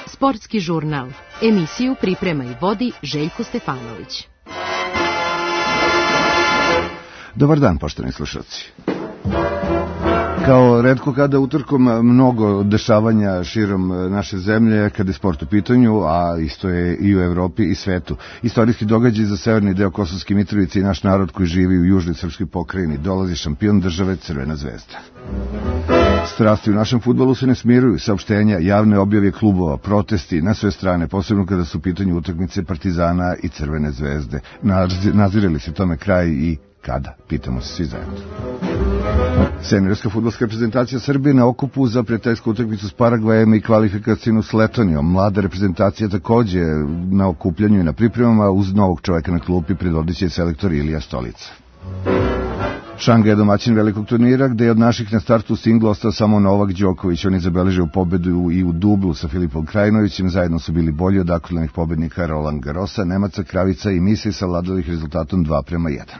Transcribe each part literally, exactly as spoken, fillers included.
Sportski žurnal. Emisiju priprema i vodi Željko Stefanović. Dobar dan, poštovani slušalci. Kao retko kada utorkom mnogo dešavanja širom naše zemlje kada je sport u pitanju, a isto je i u Evropi i svetu. Istorijski događaj za severni deo Kosovske Mitrovice i naš narod koji živi u južnoj srpskoj pokrajini. Dolazi šampion države Crvena zvezda. Strasti u našem fudbalu se ne smiruju, saopštenja, javne objave klubova, protesti na sve strane, posebno kada su u pitanju utakmice Partizana i Crvene zvezde. Nazire li se tome kraj i kada? Pitamo se svi zajedno. Seniorska fudbalska reprezentacija Srbije na okupu za prijateljsku utakmicu s Paragvajem i kvalifikacijnu s Letonijom. Mlada reprezentacija takođe na okupljanju i na pripremama uz novog čoveka na klupi predvodit će selektor Ilija Stolica. Šanga je domaćin velikog turnira gde je od naših na startu singla ostao samo Novak Đoković. On je zabeležio pobedu i u dublu sa Filipom Krajinovićem. Zajedno su bili bolji od aktualnih pobednika Roland Garrosa, Nemaca, Kravica i Misi savladali ih rezultatom dva prema jedan.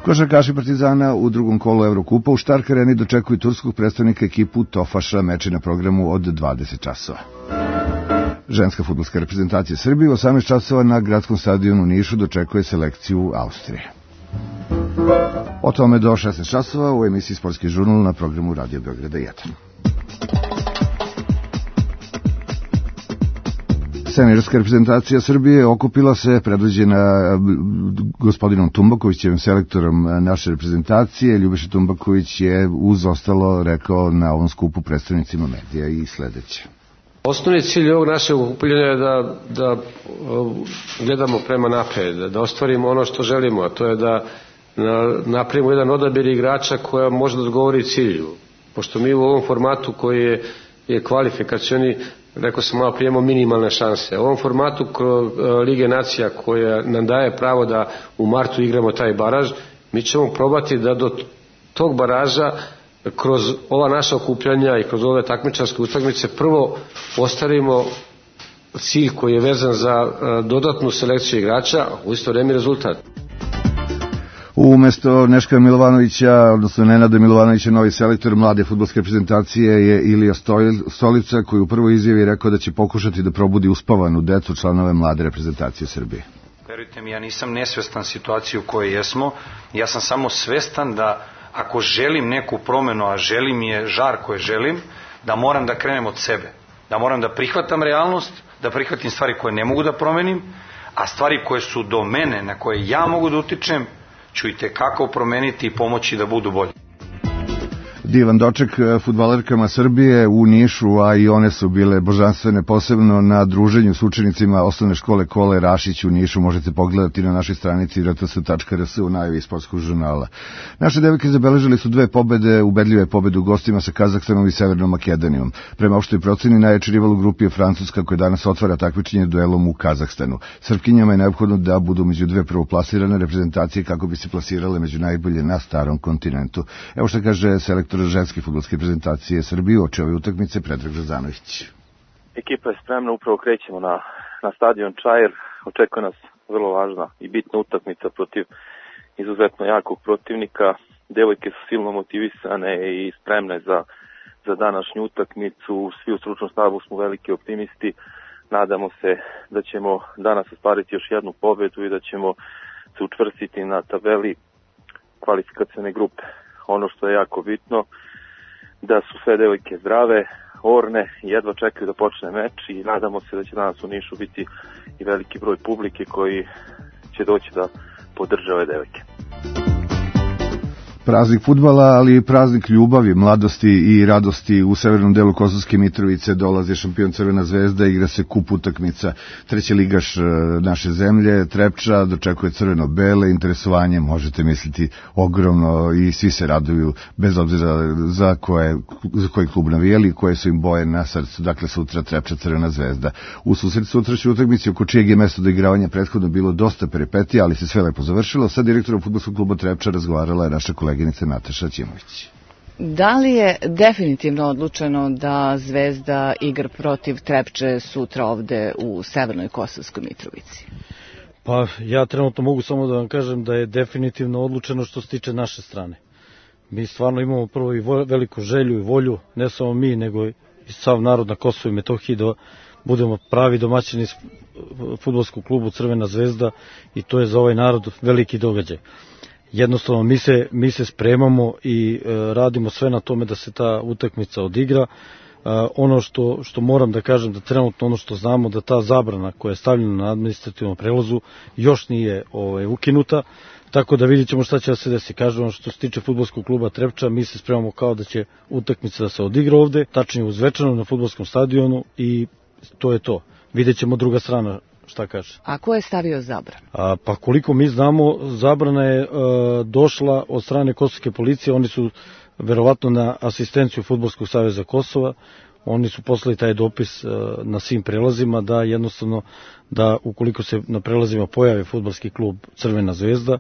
Košarkaši Partizana u drugom kolu Evrokupa u Štark Areni dočekuju turskog predstavnika ekipu Tofaša, meči na programu od dvadeset časova. Ženska fudbalska reprezentacija Srbije u osamnaest časova na gradskom stadionu u Nišu dočekuje selekciju Austrije. O tome do šesnaest časova u emisiji Sportski žurnal na programu Radio Beograda jedan. Seniorska reprezentacija Srbije okupila se, predvođena gospodinom Tumbakovićem, selektorom naše reprezentacije. Ljubiša Tumbaković je uz ostalo rekao na ovom skupu predstavnicima medija i sledeće. Osnovni cilj ovog našeg okupljanja je da, da gledamo prema napred, da, da ostvarimo ono što želimo, a to je da na, napravimo jedan odabir igrača koja može da odgovori cilju. Pošto mi u ovom formatu koji je, je kvalifikacioni, rekao sam malo prije, imamo minimalne šanse. U ovom formatu Lige nacija koja nam daje pravo da u martu igramo taj baraž, mi ćemo probati da do tog baraža kroz ova naša okupljanja i kroz ove takmičarske utakmice prvo postavimo cilj koji je vezan za dodatnu selekciju igrača, a u isto vreme rezultat. Umesto Neška Milovanovića, odnosno Nenada Milovanovića, novi selektor mlade fudbalske reprezentacije je Ilija Stolica, koji u prvoj izjavi rekao da će pokušati da probudi uspavanu decu članove mlade reprezentacije Srbije. Verujte mi, ja nisam nesvestan situaciju u kojoj jesmo, ja sam samo svestan da ako želim neku promenu, a želim je žar koje želim, da moram da krenem od sebe, da moram da prihvatam realnost, da prihvatim stvari koje ne mogu da promenim, a stvari koje su do mene, na koje ja mogu da utičem, ću i tekako promeniti i pomoći da budu bolji. Divan doček fudbalerkama Srbije u Nišu, a i one su bile božanstvene, posebno na druženju s učenicima osnovne škole Kole Rašić u Nišu. Možete pogledati na našoj stranici r t s tačka r s u najavi sportskog žurnala. Naše devojke zabeležili su dve pobede, ubedljive pobede u gostima sa Kazahstanom i Severnom Makedonijom. Prema opštoj proceni najjači rival u grupi je Francuska, koja danas otvara takmičenje duelom u Kazahstanu. Srpkinjama je neophodno da budu među dve prvoplasirane reprezentacije kako bi se plasirale među najbolje na starom kontinentu. Evo što kaže selektor ženske fudbalske reprezentacije Srbije uoči ove utakmice Predrag Zazanović. Ekipa je spremna, upravo krećemo na, na stadion Čair. Očekuje nas vrlo važna i bitna utakmica protiv izuzetno jakog protivnika. Devojke su silno motivisane i spremne za, za današnju utakmicu. Svi u stručnom stavu smo veliki optimisti. Nadamo se da ćemo danas ostvariti još jednu pobedu i da ćemo se učvrstiti na tabeli kvalifikacione grupe. Ono što je jako bitno, da su sve devojke zdrave, orne, jedva čekaju da počne meč i nadamo se da će danas u Nišu biti i veliki broj publike koji će doći da podrže ove devojke. Praznik fudbala, ali i praznik ljubavi, mladosti i radosti. U severnom delu Kosovske Mitrovice dolazi šampion Crvena zvezda, igra se kup utakmica. Treći ligaš naše zemlje, Trepča, dočekuje crveno-bele, interesovanje, možete misliti, ogromno i svi se raduju, bez obzira za, koje, za koji klub navijali, koje su im boje na srcu. Dakle, sutra Trepča, Crvena zvezda. U susret sutrašnjoj utakmici, oko čijeg je mesto do igravanja prethodno bilo dosta peripetija, ali se sve lepo završilo. Sa direktorom fudbalskog kluba Trepča razgovarala je naša koleginica Nataša Ćimović. Da li je definitivno odlučeno da Zvezda igra protiv Trepče sutra ovde u severnoj Kosovskoj Mitrovici? Pa ja trenutno mogu samo da vam kažem da je definitivno odlučeno što se tiče naše strane. Mi stvarno imamo prvo i veliku želju i volju, ne samo mi, nego i sav narod na Kosovu i Metohiji, da budemo pravi domaćini fudbalskog klubu Crvena zvezda, i to je za ovaj narod veliki događaj. Jednostavno mi se, mi se spremamo i e, radimo sve na tome da se ta utakmica odigra. E, ono što, što moram da kažem, da trenutno ono što znamo, da ta zabrana koja je stavljena na administrativnom prelazu još nije ovaj, ukinuta, tako da vidjet ćemo šta će da se desi. Kažemo, što se tiče fudbalskog kluba Trepča, mi se spremamo kao da će utakmica da se odigra ovde, tačnije u Zvečanu na fudbalskom stadionu, i to je to. Vidjet ćemo druga strana šta kaže. A ko je stavio zabranu? A, pa koliko mi znamo, zabrana je e, došla od strane kosovske policije. Oni su verovatno na asistenciju Fudbalskog saveza Kosova, oni su poslali taj dopis e, na svim prelazima, da jednostavno, da ukoliko se na prelazima pojavi fudbalski klub Crvena zvezda,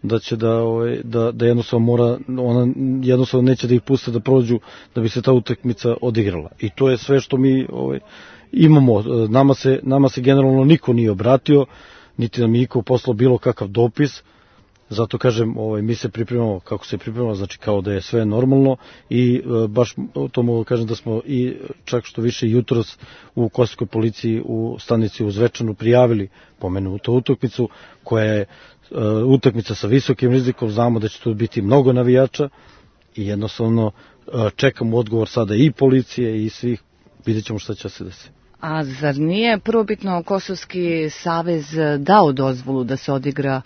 da će da, ovaj, da, da jednostavno mora, ona jednostavno neće da ih puste da prođu, da bi se ta utakmica odigrala. I to je sve što mi ovaj, imamo. Nama se, nama se generalno niko nije obratio, niti nam je niko poslao bilo kakav dopis. Zato kažem, ovaj, mi se pripremamo kako se pripremamo, znači kao da je sve normalno, i e, baš to mogu kažem da smo i čak što više jutros u kosovskoj policiji u stanici u Zvečanu prijavili pomenutu utakmicu, koja je e, utakmica sa visokim rizikom. Znamo da će tu biti mnogo navijača i jednostavno e, čekamo odgovor sada i policije i svih, vidjet ćemo šta će se desiti. A zar nije prvobitno Kosovski savez dao dozvolu da se odigra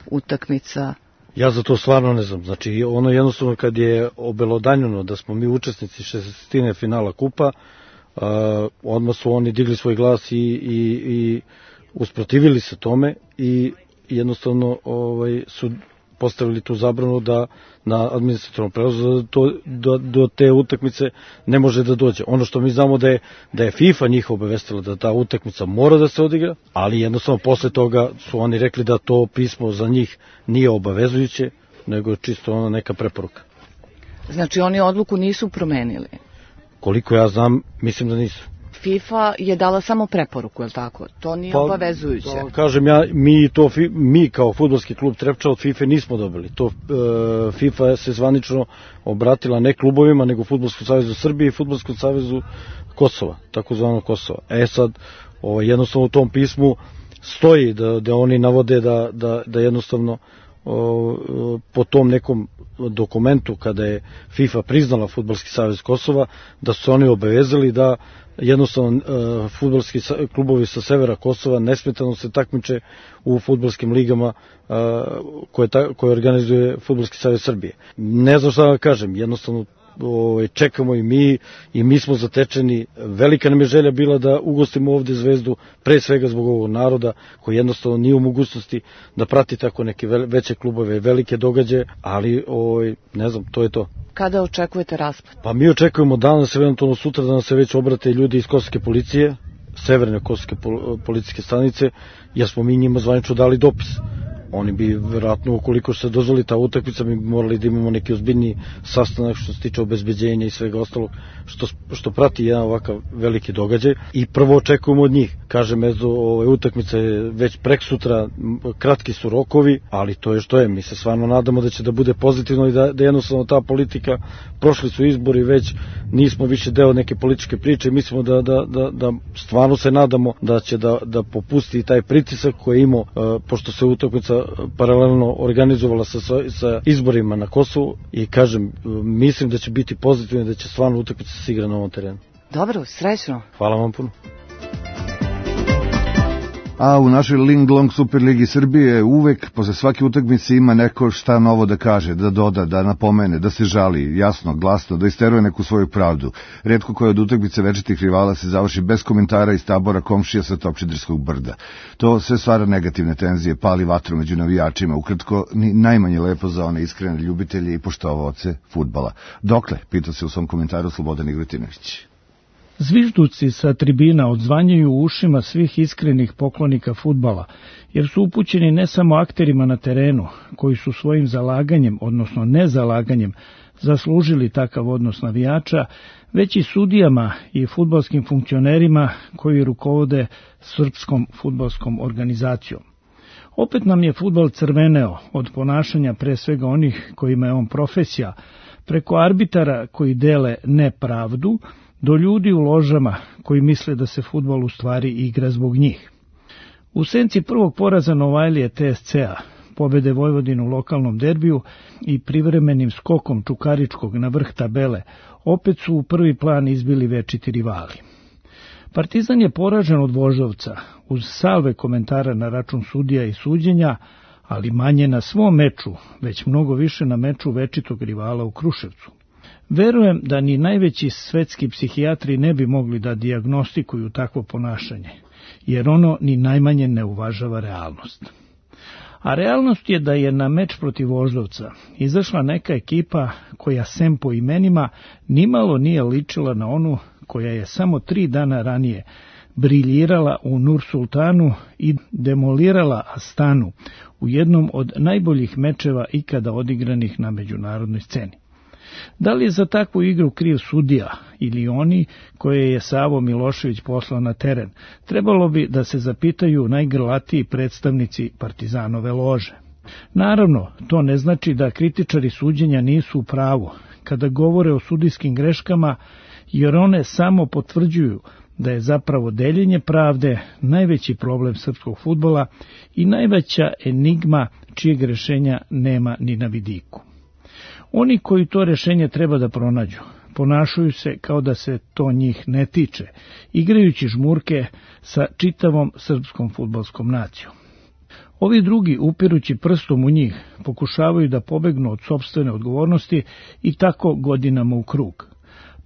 utakmica? Ja za to stvarno ne znam. Znači, ono jednostavno kad je obelodanjeno da smo mi učesnici šestnestine finala kupa, uh, odmah su oni digli svoj glas i, i, i usprotivili se tome, i jednostavno ovaj, su postavili tu zabranu da na administrativnom prelazu da to, do, do te utakmice ne može da dođe. Ono što mi znamo da je, da je FIFA njih obavestila da ta utakmica mora da se odigra, ali jednostavno posle toga su oni rekli da to pismo za njih nije obavezujuće, nego je čisto ona neka preporuka. Znači oni odluku nisu promenili? Koliko ja znam, mislim da nisu. FIFA je dala samo preporuku, je li tako? To nije pa, obavezujuće. To, kažem ja, mi, to, mi kao fudbalski klub Trepča od FIFA nismo dobili. To, e, FIFA se zvanično obratila ne klubovima, nego Fudbalskom savezu Srbije i Fudbalskom savezu Kosova, takozvano Kosova. E sad, o, jednostavno u tom pismu stoji da, da oni navode da, da, da jednostavno o, po tom nekom dokumentu, kada je FIFA priznala Fudbalski savez Kosova, da su se oni obavezali da jednostavno uh, fudbalski klubovi sa severa Kosova nesmetano se takmiče u fudbalskim ligama uh, koje, ta, koje organizuje Fudbalski savez Srbije. Ne znam šta da kažem, jednostavno ovaj, čekamo i mi, i mi smo zatečeni. Velika nam je želja bila da ugostimo ovde Zvezdu, pre svega zbog ovog naroda koji jednostavno nije u mogućnosti da prati tako neke veće klubove, velike događaje, ali ovaj, ne znam, to je to. Kada očekujete raspad? Pa mi očekujemo danas, eventualno sutra, da nam se već obrate ljudi iz kosovske policije, severne kosovske policijske stanice, jer smo mi njima zvanično dali dopis. Oni bi verovatno, ukoliko se dozvoli ta utakmica, mi bi morali da imamo neki ozbiljni sastanak što se tiče obezbeđenja i svega ostalog što, što prati jedan ovakav veliki događaj, i prvo očekujemo od njih. Kažem, eto, ove utakmice već prek sutra, kratki su rokovi, ali to je što je. Mi se stvarno nadamo da će da bude pozitivno i da, da jednostavno ta politika, prošli su izbori već, nismo više deo neke političke priče, mislimo da, da, da, da stvarno se nadamo da će da, da popusti taj pritisak koji je imao, pošto se utakmica paralelno organizovala sa, sa izborima na Kosovu, i kažem, mislim da će biti pozitivno, da će stvarno utakmica se igra na ovom terenu. Dobro, srećno. Hvala vam puno. A u našoj Ling Long Superligi Srbije uvek posle svake utakmice ima neko šta novo da kaže, da doda, da napomene, da se žali, jasno, glasno, da isteruje neku svoju pravdu. Retko koja od utakmice večitih rivala se završi bez komentara iz tabora komšija sa Topčiderskog brda. To sve stvara negativne tenzije, pali vatru među navijačima, ukratko ni najmanje lepo za one iskrene ljubitelje i poštovaoce fudbala. Dokle, pitao se u svom komentaru Slobodan Igrotinović. Zvižduci sa tribina odzvanjaju u ušima svih iskrenih poklonika fudbala, jer su upućeni ne samo akterima na terenu, koji su svojim zalaganjem, odnosno nezalaganjem, zaslužili takav odnos navijača, već i sudijama i fudbalskim funkcionerima koji rukovode srpskom fudbalskom organizacijom. Opet nam je fudbal crveneo od ponašanja pre svega onih kojima je on profesija, preko arbitara koji dele nepravdu, do ljudi u ložama koji misle da se fudbal u stvari igra zbog njih. U senci prvog poraza Novajlije T S C-a, pobede Vojvodine u lokalnom derbiju i privremenim skokom Čukaričkog na vrh tabele, opet su u prvi plan izbili večiti rivali. Partizan je poražen od Voždovca, uz salve komentara na račun sudija i suđenja, ali manje na svom meču, već mnogo više na meču večitog rivala u Kruševcu. Verujem da ni najveći svetski psihijatri ne bi mogli da dijagnostikuju takvo ponašanje, jer ono ni najmanje ne uvažava realnost. A realnost je da je na meč protiv Voždovca izašla neka ekipa koja sem po imenima nimalo nije ličila na onu koja je samo tri dana ranije briljirala u Nur-Sultanu i demolirala Astanu u jednom od najboljih mečeva ikada odigranih na međunarodnoj sceni. Da li je za takvu igru kriv sudija ili oni koje je Savo Milošević poslao na teren, trebalo bi da se zapitaju najgrlatiji predstavnici Partizanove lože. Naravno, to ne znači da kritičari suđenja nisu u pravu kada govore o sudijskim greškama, jer one samo potvrđuju da je zapravo deljenje pravde najveći problem srpskog fudbala i najveća enigma čijeg rešenja nema ni na vidiku. Oni koji to rešenje treba da pronađu, ponašaju se kao da se to njih ne tiče, igrajući žmurke sa čitavom srpskom fudbalskom nacijom. Ovi drugi, upirući prstom u njih, pokušavaju da pobegnu od sopstvene odgovornosti i tako godinama u krug.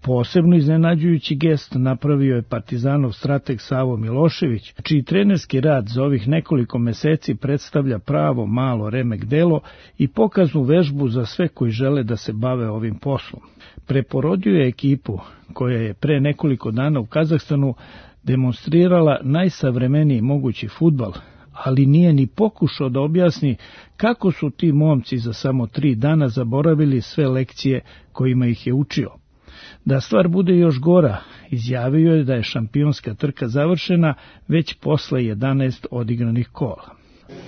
Posebno iznenađujući gest napravio je Partizanov strateg Savo Milošević, čiji trenerski rad za ovih nekoliko meseci predstavlja pravo malo remek delo i pokaznu vežbu za sve koji žele da se bave ovim poslom. Preporodio je ekipu koja je pre nekoliko dana u Kazahstanu demonstrirala najsavremeniji mogući fudbal, ali nije ni pokušao da objasni kako su ti momci za samo tri dana zaboravili sve lekcije kojima ih je učio. Da stvar bude još gora, izjavio je da je šampionska trka završena već posle jedanaest odigranih kola.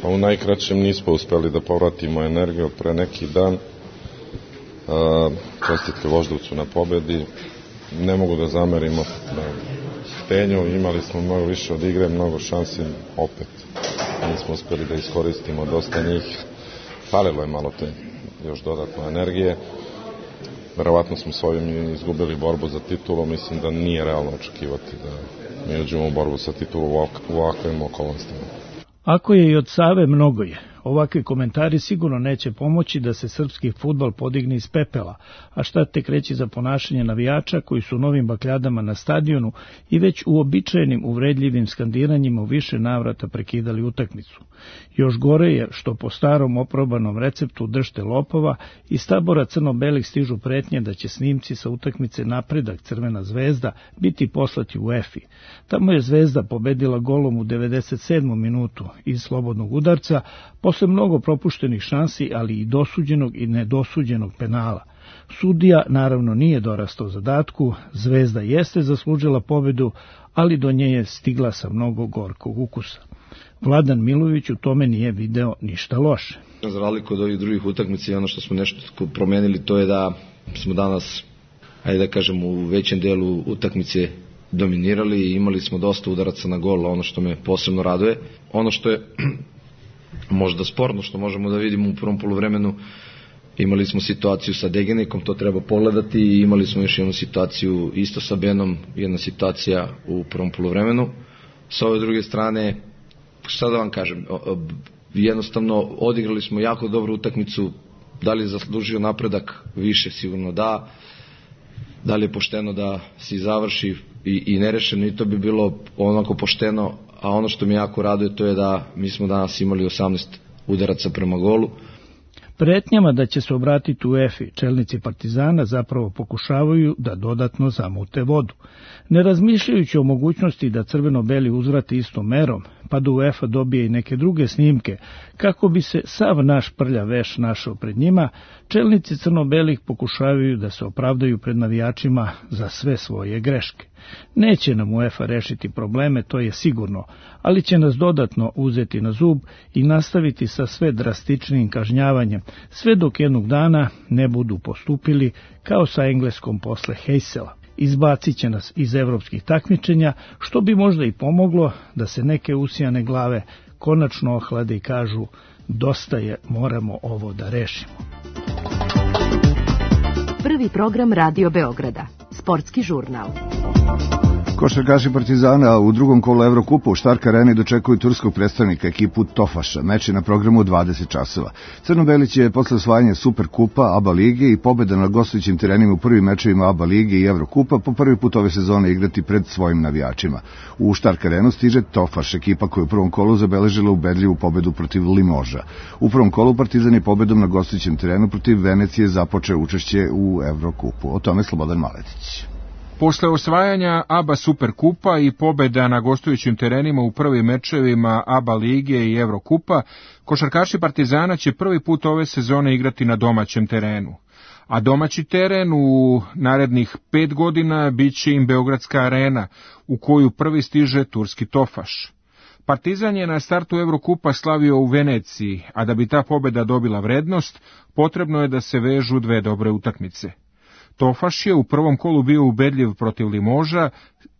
Pa u najkraćem nismo uspeli da povratimo energiju od pre neki dan. Čestitke Voždovcu na pobedi. Ne mogu da zamerimo Stenju, imali smo mnogo više od igre, mnogo šansi, opet nismo uspeli da iskoristimo dosta njih. Falilo je malo te još dodatno energije. Verovatno smo s ovim izgubili borbu za titulu, mislim da nije realno očekivati da mi uđemo u borbu sa titulom u ovakvim okolnostima. Ako je i od Save, mnogo je. Ovakvi komentari sigurno neće pomoći da se srpski fudbal podigne iz pepela, a šta tek reći za ponašanje navijača koji su novim bakljadama na stadionu i već uobičajenim uvredljivim skandiranjima u više navrata prekidali utakmicu. Još gore je što po starom oprobanom receptu držte lopova iz tabora crno-belih stižu pretnje da će snimci sa utakmice Napredak Crvena zvezda biti poslati u EFI. Tamo je Zvezda pobedila golom u devedeset sedmom minutu iz slobodnog udarca, posle mnogo propuštenih šansi, ali i dosuđenog i nedosuđenog penala. Sudija naravno nije dorastao zadatku, Zvezda jeste zaslužila pobedu, ali do nje je stigla sa mnogo gorkog ukusa. Vladan Milović u tome nije video ništa loše. Za razliku od ovih drugih utakmica, ono što smo nešto promenili, to je da smo danas, ajde da kažem, u većem delu utakmice dominirali i imali smo dosta udaraca na gol, ono što me posebno raduje. Ono što je možda sporno, što možemo da vidimo u prvom poluvremenu, imali smo situaciju sa Degenikom, to treba pogledati, i imali smo još jednu situaciju isto sa Benom, jedna situacija u prvom poluvremenu. Sa ove druge strane, šta da vam kažem, jednostavno odigrali smo jako dobru utakmicu. Da li je zaslužio Napredak? Više sigurno da. Da li je pošteno da se završi i, i nerešeno? I to bi bilo onako pošteno, a ono što mi jako raduje to je da mi smo danas imali osamnaest udaraca prema golu. Pretnjama da će se obratiti u EFI, čelnici Partizana zapravo pokušavaju da dodatno zamute vodu. Ne razmišljajući o mogućnosti da crveno-beli uzvrati istom merom, pa da UEFA dobije i neke druge snimke, kako bi se sav naš prljav veš našao pred njima, čelnici crno-belih pokušavaju da se opravdaju pred navijačima za sve svoje greške. Neće nam UEFA rešiti probleme, to je sigurno, ali će nas dodatno uzeti na zub i nastaviti sa sve drastičnijim kažnjavanjem, sve dok jednog dana ne budu postupili kao sa Engleskom posle Heysela. Izbacit će nas iz evropskih takmičenja, što bi možda i pomoglo da se neke usijane glave konačno ohlade i kažu dosta je, moramo ovo da rešimo. Prvi program Radio Beograda, sportski žurnal. Košarkaši Partizana u drugom kolu Evrokupa u Štark areni dočekuju turskog predstavnika, ekipu Tofaša. Meč je na programu u dvadeset časova. Crno-beli će posle osvajanja Superkupa, ABA lige i pobjeda na gostujućim terenima u prvim mečevima ABA lige i Evrokupa po prvi put ove sezone igrati pred svojim navijačima. U Štark arenu stiže Tofaš, ekipa koja u prvom kolu zabeležila ubedljivu pobedu protiv Limoža. U prvom kolu Partizan je pobedom na gostujućem terenu protiv Venecije započeo učešće u Evrokupu. O tome Slobodan Maletić. Posle osvajanja ABA Superkupa i pobjeda na gostujućim terenima u prvim mečevima ABA lige i Evrokupa, košarkaši Partizana će prvi put ove sezone igrati na domaćem terenu. A domaći teren u narednih pet godina bit će im Beogradska arena, u koju prvi stiže turski Tofaš. Partizan je na startu Evrokupa slavio u Veneciji, a da bi ta pobjeda dobila vrednost, potrebno je da se vežu dve dobre utakmice. Tofaš je u prvom kolu bio ubedljiv protiv Limoža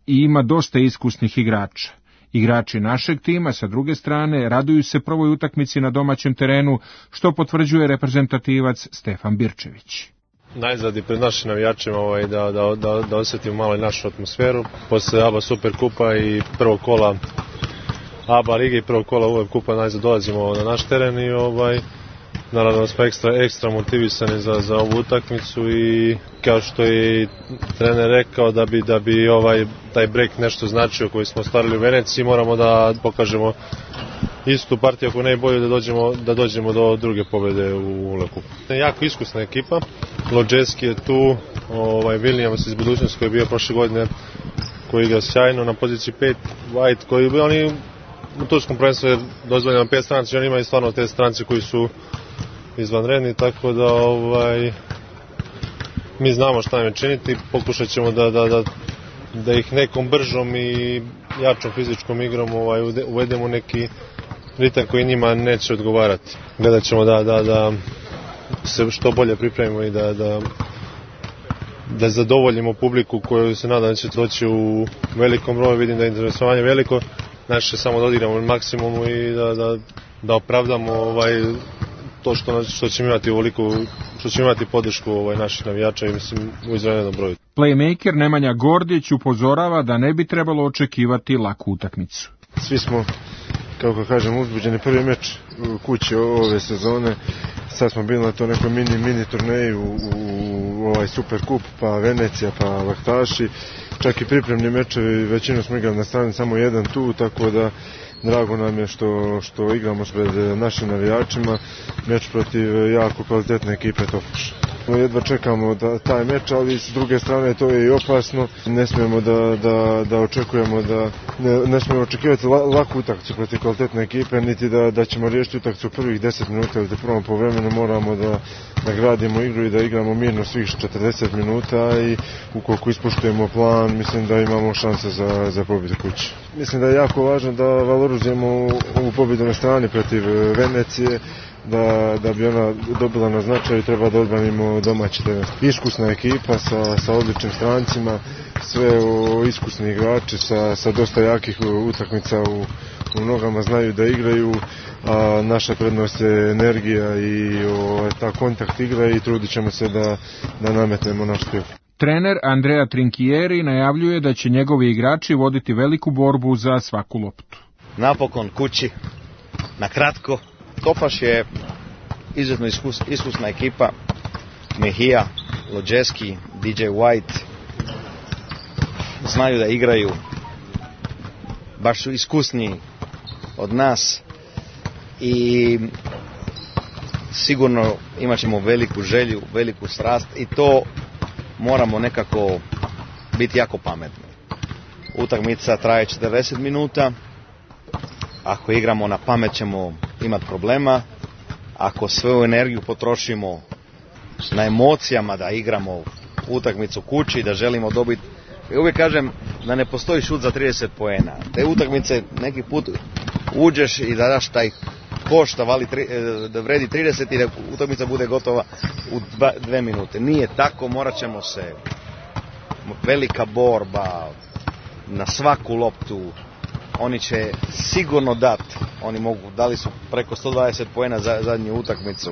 i ima dosta iskusnih igrača. Igrači našeg tima, sa druge strane, raduju se prvoj utakmici na domaćem terenu, što potvrđuje reprezentativac Stefan Birčević. Najzad i pred našim navijačima ovaj, da, da, da, da osjetimo malo i našu atmosferu. Posle ABA Superkupa i prvog kola ABA lige i prvog kola U E F Kupa najzad dolazimo na naš teren i ovaj, naravno smo ekstra, ekstra motivisani za, za ovu utakmicu i kao što je trener rekao da bi, da bi ovaj, taj break nešto značio koji smo ostvarili u Veneciji, moramo da pokažemo istu partiju ako ne i bolje da dođemo, da dođemo do druge pobjede u U E F Kupu. Jako iskusna ekipa, Lodžeski je tu, ovaj, Williams iz budućnosti koji je bio prošle godine, koji igra sjajno na poziciji pet, White koji bi oni u turskom prvenstvu je dozvoljeno pet stranaca, oni imaju stvarno te strance koji su izvanredni, tako da ovaj, mi znamo šta im činiti, pokušat ćemo da, da, da, da ih nekom bržom i jačom fizičkom igrom ovaj, uvedemo neki ritam koji njima neće odgovarati. Gledat ćemo da, da, da se što bolje pripremimo i da, da, da zadovoljimo publiku koju se nadam da će doći u velikom broju, vidim da je interesovanje veliko, naše samo da odigramo maksimumu i da, da, da opravdamo ovaj, to što, što ćemo imati ovoliku, što ćemo imati podršku ovaj, naših navijača i mislim u izvanrednom broju. Playmaker Nemanja Gordić upozorava da ne bi trebalo očekivati laku utakmicu. Svi smo, kako kažem, uzbuđeni prvi meč u kući ove sezone. Sad smo bili na to nekoj mini, mini turneji u, u ovaj Superkup, pa Venecija, pa Laktaši. Čak i pripremni mečevi, većinu smo igrali na strani, samo jedan tu, tako da drago nam je što, što igramo pred našim navijačima, meč protiv jako kvalitetne ekipe Tofaša. Jedva čekamo da, taj meč, ali s druge strane to je i opasno. Ne smijemo da, da, da očekujemo da ne, ne smijemo očekivati laku utakmicu protiv kvalitetne ekipe, niti da, da ćemo riješiti utakmicu u prvih deset minuta, ili da prvom povremenu moramo da nagradimo igru i da igramo mirno svih četrdeset minuta i ukoliko ispoštujemo plan, mislim da imamo šanse za, za pobjedu kući. Mislim da je jako važno da valorizujemo ovu pobjedu na strani protiv Venecije, da, da bi ona dobila na značaju, treba da odbranimo domaći teren. Iskusna ekipa sa, sa odličnim strancima, sve o, iskusni igrači sa, sa dosta jakih utakmica u, u nogama, znaju da igraju, a naša prednost je energija i o, ta kontakt igra i trudit ćemo se da, da nametnemo naš stil. Trener Andrea Trinchieri najavljuje da će njegovi igrači voditi veliku borbu za svaku loptu. Napokon kući, na kratko. Tofaš je izuzetno iskus, iskusna ekipa, Mejia, Lodžeski, D J White, znaju da igraju, baš su iskusniji od nas i sigurno imat ćemo veliku želju, veliku strast i to moramo nekako biti jako pametni. Utakmica traje četrdeset minuta, ako igramo na pamet ćemo imati problema, ako svoju energiju potrošimo na emocijama da igramo utakmicu kući, da želimo dobiti. Ja uvijek kažem da ne postoji šut za trideset poena. Te utakmice neki put uđeš i da daš taj koš da, vali, da vredi trideset i da utakmica bude gotova u dva, dve minute. Nije tako, morat ćemo se, velika borba na svaku loptu. Oni će sigurno dati, oni mogu, dali su preko sto dvadeset poena za zadnju utakmicu.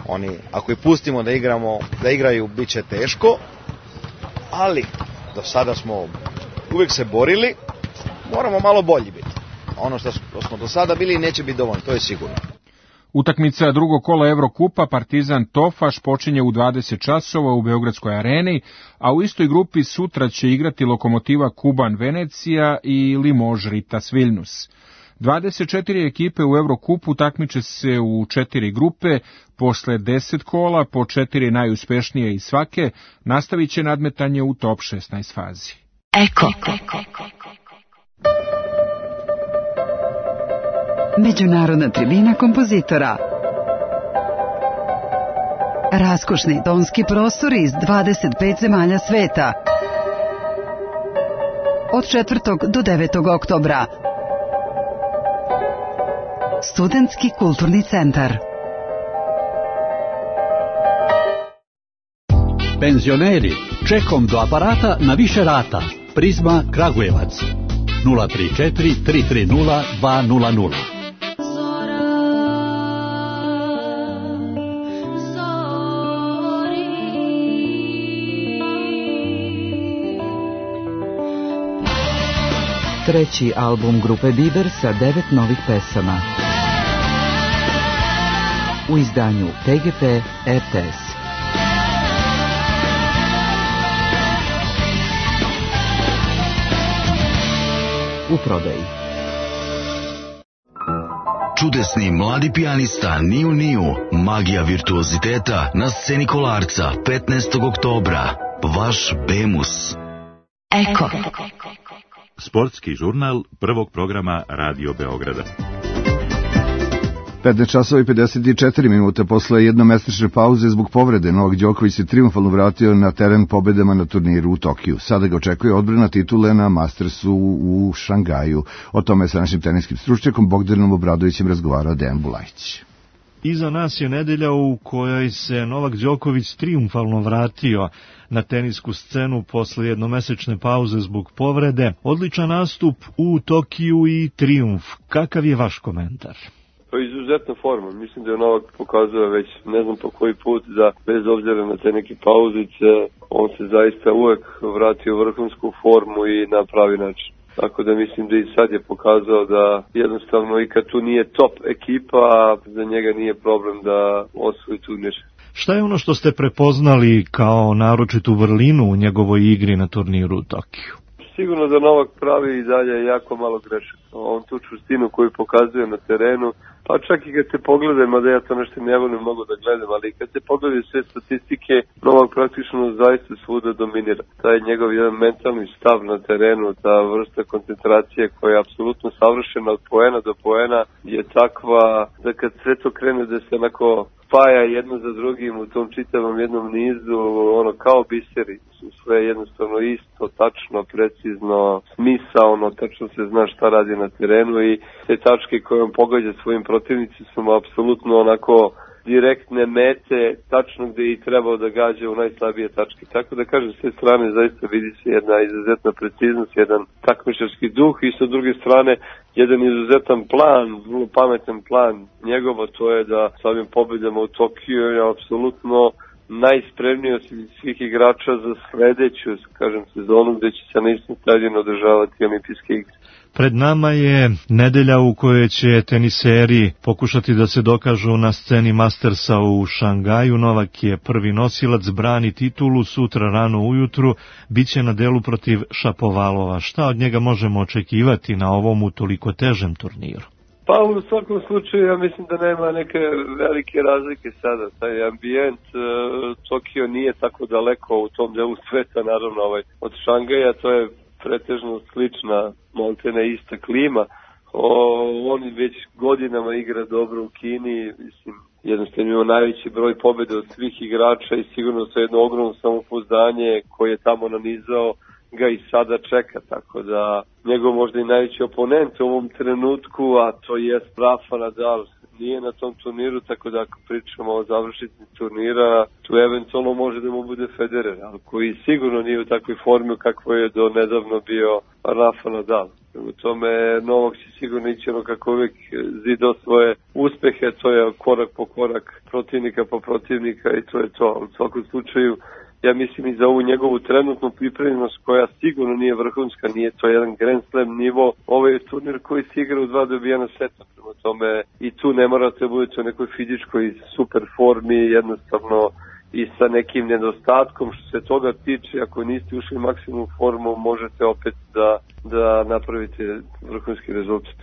Oni, ako ih pustimo da igramo, da igraju, bit će teško, ali do sada smo uvijek se borili, moramo malo bolji biti. Ono što smo do sada bili neće biti dovoljno, to je sigurno. Utakmica drugog kola Evrokupa Partizan Tofaš počinje u dvadeset časova u Beogradskoj areni, a u istoj grupi sutra će igrati Lokomotiva Kuban Venecija i Limoges Ritas Vilnius. dvadeset četiri ekipe u Evrokupu takmiče se u četiri grupe, posle deset kola, po četiri najuspešnije iz svake, nastavit će nadmetanje u top šesnaest fazi. Eko. Međunarodna tribina kompozitora. Raskošni tonski prostori iz dvadeset pet zemalja sveta. Od četvrtog do devetog oktobra. Studentski kulturni centar. Penzioneri, čekom do aparata na više rata. Prizma Kragujevac. nula tri četiri tri tri nula dva nula nula. Treći album grupe Biber sa devet novih pesama. U izdanju T G P R T S. U prodaji. Čudesni mladi pijanista Niu Niu, magija virtuoziteta na sceni Kolarca petnaestog oktobra. Vaš Bemus. Eko. Sportski žurnal prvog programa Radio Beograda. petnaest časova i pedeset četiri minute posle jednomesečne pauze zbog povrede Novak Đoković se trijumfalno vratio na teren pobedama na turniru u Tokiju. Sada ga očekuje odbrana titule na Mastersu u Šangaju. O tome sa našim teniskim stručnjakom Bogdanom Obradovićem razgovarao Dejan Bulajić. Iza nas je nedelja u kojoj se Novak Đoković trijumfalno vratio na tenisku scenu posle jednomesečne pauze zbog povrede. Odličan nastup u Tokiju i trijumf. Kakav je vaš komentar? To je izuzetna forma. Mislim da je Novak pokazao već ne znam po koji put da bez obzira na te neke pauzice on se zaista uvek vratio u vrhunsku formu i na pravi način. Tako da mislim da i sad je pokazao da jednostavno i kad tu nije top ekipa, za njega nije problem da osvoji turnir. Šta je ono što ste prepoznali kao naročitu vrlinu u njegovoj igri na turniru u Tokiju? Sigurno da Novak pravi i dalje jako malo grešaka. On tu čvrstinu koju pokazuje na terenu, pa čak i kad se pogledaju, mada ja to nešto ne volim mnogo da gledam, ali kad se pogledaju sve statistike, Novak praktično zaista svuda dominira. Taj njegov jedan mentalni stav na terenu, ta vrsta koncentracije koja je apsolutno savršena od poena do poena je takva da kad sve to krene da se onako spaja jedno za drugim u tom čitavom jednom nizu, ono kao biseri, su sve jednostavno isto, tačno, precizno, smisaono, tačno se zna šta radi na terenu i te tačke koje on pogađa svojim protivnici su mu apsolutno onako direktne mete, tačno gde je i trebao da gađa u najslabije tačke. Tako da kažem, s te strane zaista vidi se jedna izuzetna preciznost, jedan takmičarski duh i sa druge strane jedan izuzetan plan, vrlo pametan plan njegova, to je da sa ovim pobedama u Tokiju je apsolutno najspremniji od svih igrača za sledeću, kažem, sezonu gde će se na istom stadionu održavati olimpijske igre. Pred nama je nedelja u kojoj će teniseri pokušati da se dokažu na sceni Mastersa u Šangaju. Novak je prvi nosilac, brani titulu, sutra rano ujutru biće na delu protiv Šapovalova. Šta od njega možemo očekivati na ovom toliko težem turniru? Pa u svakom slučaju ja mislim da nema neke velike razlike sada. Taj ambijent, e, Tokio nije tako daleko u tom delu sveta, naravno ovaj, od Šangaja, to je pretežno slična, maltene ista klima, O, on već godinama igra dobro u Kini, mislim, jednostavno ima najveći broj pobjede od svih igrača i sigurno sa jedno ogromno samopouzdanje koje je tamo nanizao ga i sada čeka, tako da njegov možda i najveći oponent u ovom trenutku, a to je Rafa Nadal, nije na tom turniru, tako da ako pričamo o završnici turnira, tu eventualno može da mu bude Federer, ali koji sigurno nije u takvoj formi kako je do nedavno bio Rafa Nadal. U tome Novak će sigurno ići ono kako uvijek zidao svoje uspehe, to je korak po korak, protivnika po protivnika i to je to. U svakom slučaju, ja mislim i za ovu njegovu trenutnu pripremljenost koja sigurno nije vrhunska, nije to jedan Grand Slam nivo, ovo je turnir koji se igra u dva dobijena seta, prema tome i tu ne morate budete u nekoj fizičkoj super formi, jednostavno i sa nekim nedostatkom što se toga tiče, ako niste ušli u maksimum formu, možete opet da, da napravite vrhunski rezultat.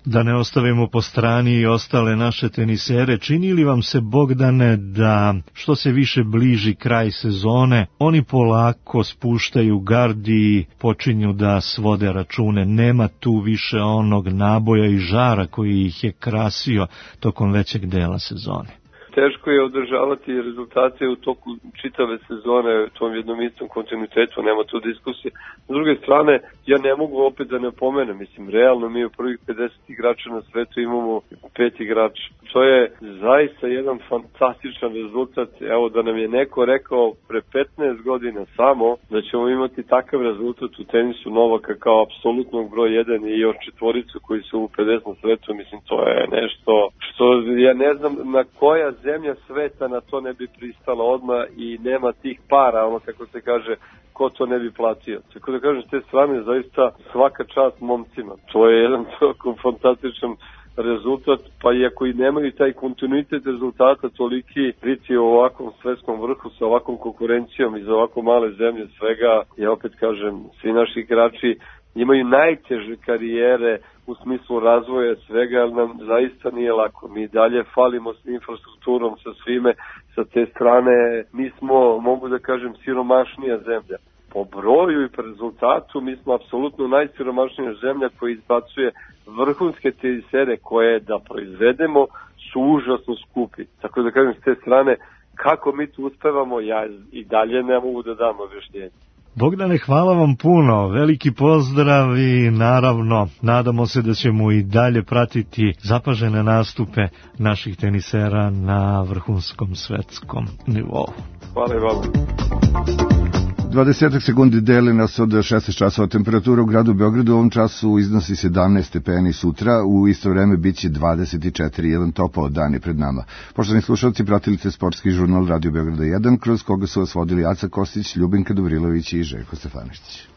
Da ne ostavimo po strani i ostale naše tenisere, čini li vam se, Bogdane, da što se više bliži kraj sezone, oni polako spuštaju gardi i počinju da svode račune? Nema tu više onog naboja i žara koji ih je krasio tokom većeg dela sezone. Teško je održavati rezultate u toku čitave sezone u tom jednom istom kontinuitetu, nema tu diskusije. S druge strane, ja ne mogu opet da ne pomenem, mislim, realno mi u prvih pedeset igrača na svetu imamo pet igrača. To je zaista jedan fantastičan rezultat. Evo da nam je neko rekao pre petnaest godina samo da ćemo imati takav rezultat u tenisu Novaka kao apsolutnog broj jedan i još četvoricu koji su u pedeset na svetu, mislim, to je nešto što ja ne znam na koja zemlja sveta na to ne bi pristala odmah i nema tih para, ono kako se kaže, ko to ne bi platio. Tako da kažem, s te strane zaista svaka čast momcima. To je jedan tako fantastičan rezultat, pa i ako i nemaju taj kontinuitet rezultata toliki biti u ovakvom svetskom vrhu sa ovakvom konkurencijom i za ovako male zemlje svega, ja opet kažem, svi naši igrači imaju najteže karijere u smislu razvoja svega, ali nam zaista nije lako. Mi dalje falimo s infrastrukturom, sa svime, sa te strane mi smo, mogu da kažem, siromašnija zemlja. Po broju i po rezultatu mi smo apsolutno najsiromašnija zemlja koja izbacuje vrhunske tenisere koje da proizvedemo su užasno skupi. Tako da kažem, s te strane, kako mi tu uspevamo, ja i dalje ne mogu da dam objašnjenje. Bogdane, hvala vam puno, veliki pozdrav i naravno nadamo se da ćemo i dalje pratiti zapažene nastupe naših tenisera na vrhunskom svetskom nivou. Hvala i vama. dvadeset sekundi deli nas od šesnaest časova. Temperatura u gradu Beogradu u ovom času iznosi sedamnaest stepeni, sutra u isto vreme biće dvadeset četiri, jedan topao dan je pred nama. Poštovani slušalci, pratili ste sportski žurnal Radio Beograda jedan, kroz koga su vas vodili Aca Kostić, Ljubinka Dobrilović i Željko Stefaničić.